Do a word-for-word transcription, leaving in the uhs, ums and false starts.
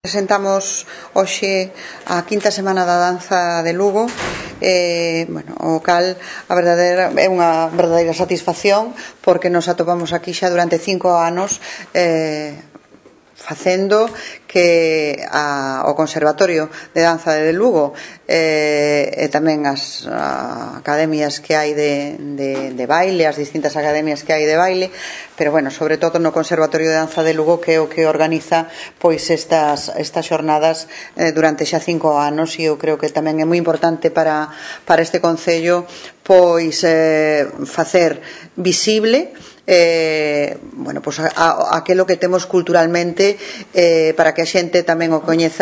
Presentamos hoxe a quinta semana da danza de Lugo, eh, bueno, o cal a verdadeira, é unha verdadeira satisfacción porque nos atopamos aquí xa durante cinco anos eh, facendo que a, o Conservatorio de Danza de Lugo eh, e tamén as a, academias que hai de, de, de baile, as distintas academias que hai de baile, pero bueno, sobre todo no Conservatorio de Danza de Lugo, que é o que organiza pois estas, estas xornadas eh, durante xa cinco anos, e eu creo que tamén é moi importante para, para este Concello pois eh, facer visible eh, bueno, pois a, a, aquilo que temos culturalmente, eh, para que a xente tamén o coñeza.